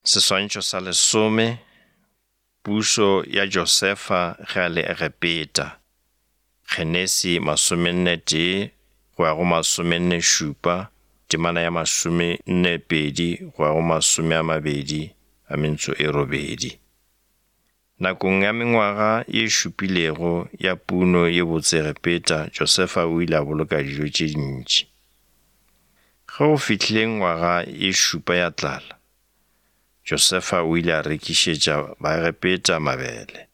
Seswantšho sa lesome, Pušo ya Josefa ge a le Egepeta, Genesi masomennetee go ya go masomennešupa, temana ya masomennepedi go ya go masomeamabedi a mentso e robedi. Nakong ya mengwaga ye šupilego ya puno ye botse Egepeta, Josefa o ile a boloka dijo tše dintši. Ge go fihlile ngwaga ye šupa ya tlala, Josefa o ile a rekišetša Baegepeta mabele,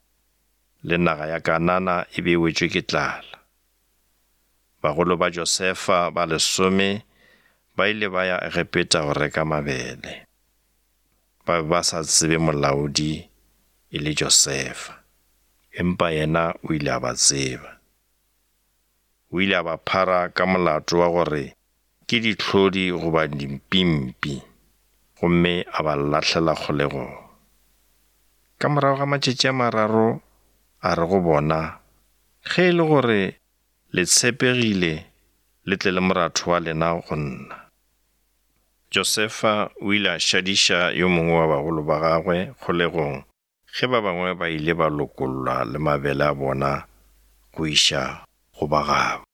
le naga ya Kanana e be e wetšwe ke tlala. Bagolo ba Josefa ba lesome ba ile ba ya Egepeta go reka mabele. Ba be ba sa tsebe molaodi e le Josefa, empa yena o ile a ba tseba. O ile a ba phara ka molato wa gore ke dihlodi goba dimpimpi, gomme a ba lahlela kgolegong. Ka morago ga matšatši a mararo a re go bona, Ge e le gore le tshepegile, le tle le moratho wa lena go nna. Josefa o ile a šadiša yo mongwe wa bagolo ba gagwe kgolegong ge ba bangwe ba ile ba lokollwa le mabele a bona go iša go ba gabo.